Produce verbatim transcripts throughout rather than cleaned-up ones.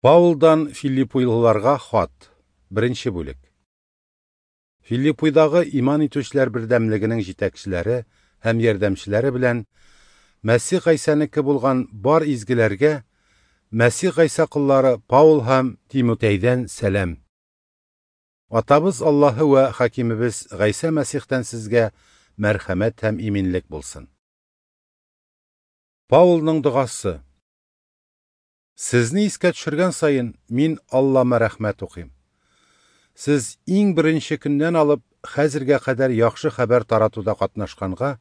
Паулдан Филиппуйлыларга хат. Беренче бүлек. Филиппуйдагы иман итүчеләр бердәмлегенең җитәкчеләре һәм ярдәмчеләре белән Мәсих Гайсәнеке булган бар изгеләргә Мәсих Гайсә коллары Паул һәм Тимотейдән сәлам. Атабыз Аллаһы вә хакимебез Гайсә Мәсихтән сезгә мәрхәмәт һәм иминлек булсын. Паулның догасы. Сезне искә төшергән саен мин Аллама рәхмәт укыйм. Сез иң беренче көннән алып хәзергә кадәр яхшы хәбәр таратуда катнашканга,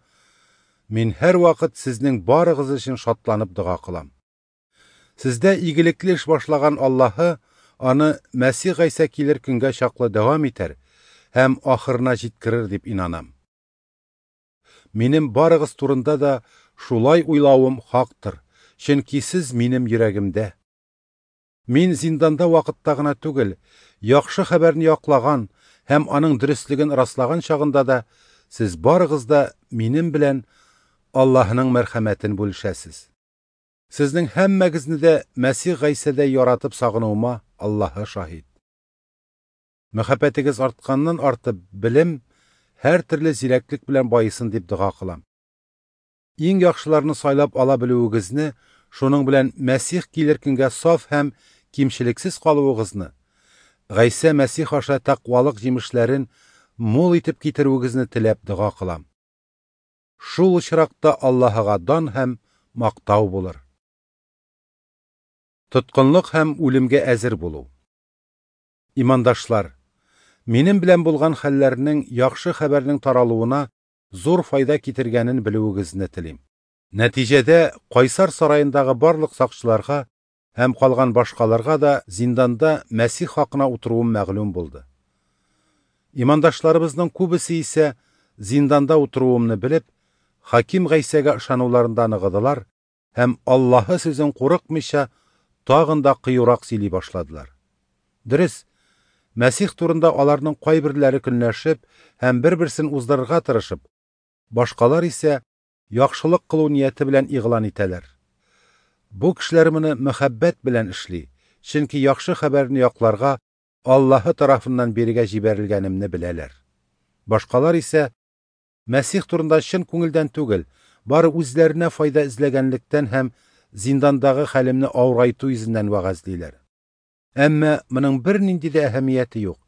мин һәрвакыт сезнең барыгыз өчен шатланып дога кылам. Сездә игелекле эш башлаган Аллаһы аны Мәсих Гайсә килер көнгә чаклы дәвам итәр һәм ахырына җиткерер дип инанам. Минем барыгыз турында да шулай уйлавым хактыр. Чөнки сез минем йөрәгемдә. Мин зинданда вакытта гына түгел, яхшы хәбәрне яклаган һәм аның дөреслеген раслаган чагында да сез барыгыз да минем белән Аллаһының мәрхәмәтен бүлешәсез. Сезнең һәммәгезне дә Мәсих Гайсәдә яратып сагынуыма Аллаһы шаһит. Мәхәббәтегез артканнан артып белем һәр төрле зирәклек белән байысын дип дога кылам. Иң яхшыларны сайлап ала белүегезне, шуның белән Мәсих килер көнгә саф һәм кимчелексез калуыгызны, Гайсә Мәсих аша тәкъвалык җимешләрен мул итеп китерүегезне теләп дога кылам. Шул очракта Аллаһыга дан һәм мактау булыр. Тоткынлык һәм үлемгә әзер булу. Имандашлар, минем белән булган хәлләрнең яхшы хәбәрнең таралуына зур файда китергәнен белүегезне телим. Нәтиҗәдә Кайсар сараендагы барлык сакчыларга һәм калган башкаларга да зинданда Мәсих хакына утыруым мәгълүм булды. Имандашларыбызның күбесе исә зинданда утыруымны белеп, хаким Гайсәгә ышануларында ныгыдылар һәм Аллаһы сүзен курыкмыйча тагын да кыюрак сөйли башладылар. Дөрес, Мәсих турында аларның кайберләре көнләшеп һәм бер-берсен уздырырга тырышып, башкалар исә яхшылык кылу нияте белән игълан итәләр. Бу кешеләр моны мәхәббәт белән эшли, чөнки яхшы хәбәрне якларга Аллаһы тарафыннан бирегә җибәрелгәнемне беләләр. Башкалар исә Мәсих турында чын күңелдән түгел, бары үзләренә файда эзләгәнлектән һәм зиндандагы хәлемне авырайту йөзеннән вәгазьлиләр. Әмма моның бернинди дә әһәмияте юк.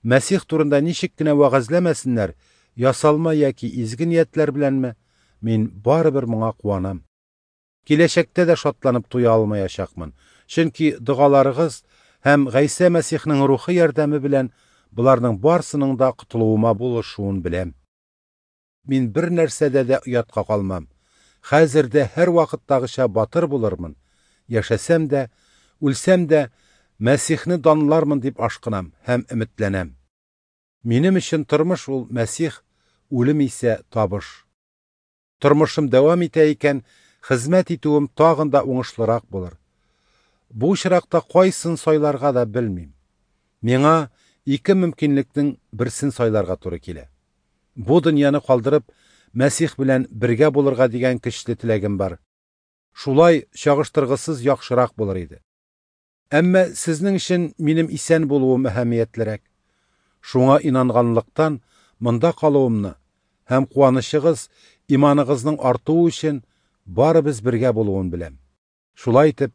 Мәсих турында ничек кенә вәгазьләмәсеннәр, ясалма яки изге ниятләр беләнме, мин барыбер моңа куанам. Киләчәктә дә шатланып туя алмаячакмын, чөнки догаларыгыз һәм Гайсә Мәсихнең рухы ярдәме белән боларның барсының да котылуыма булышуын беләм. Мин бер нәрсәдә дә оятка калмам. Хәзер дә һәр вакыттагыча батыр булырмын. Яшәсәм дә, үлсәм дә Мәсихне данлармын дип ашкынам һәм өметләнәм. Минем өчен тормыш ул Мәсих, үлем исә табыш. Тормышым дәвам итә икән, хезмәт итүем тагын да уңышлырак булыр. Бу очракта кайсын сайларга да белмим. Миңа ике мөмкинлекнең берсен сайларга туры килә. Бу дөньяны калдырып, Мәсих белән бергә булырга дигән көчле теләгем бар. Шулай чагыштыргысыз яхшырак булыр иде. Әмма сезнең өчен минем исән булуым әһәмиятлерәк. Шуңа инанганлыктан монда калуымны һәм куанычыгыз, иманыгызның артуы өчен барыбыз бергә булуын беләм. Шулай итеп,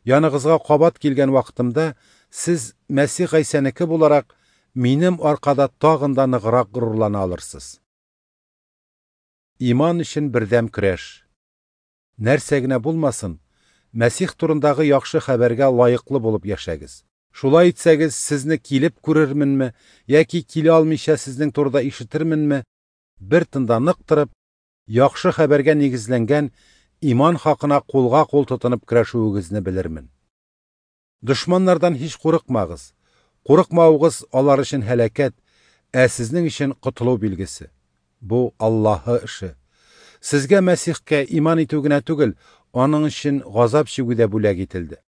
яныгызга кабат килгән вакытымда сез Мәсих Гайсәнеке буларак минем аркада тагын да ныграк горурлана алырсыз. Иман өчен бердәм көрәш. Нәрсә генә булмасын, Мәсих турындагы яхшы хәбәргә лаеклы булып яшәгез. Шулай итсәгез, сезне килеп күрерменме яки килә алмыйча сезнең турыда ишетерменме, бер тында нык торып, яхшы хәбәргә нигезләнгән иман хакына кулга кул тотынып көрәшүегезне белермен. Дошманнардан һич курыкмагыз. Курыкмавыгыз алар өчен һәлакәт, ә сезнең өчен котылу билгесе. Бу Аллаһы эше. Сезгә Мәсихкә иман итү генә түгел, аның өчен газап чигү дә бүләк ителде.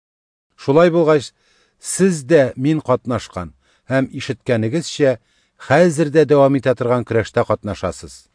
Шулай булгач, сез дә мин катнашкан һәм ишеткәнегезчә хәзер дә дәвам итә торган көрәштә катнашасыз.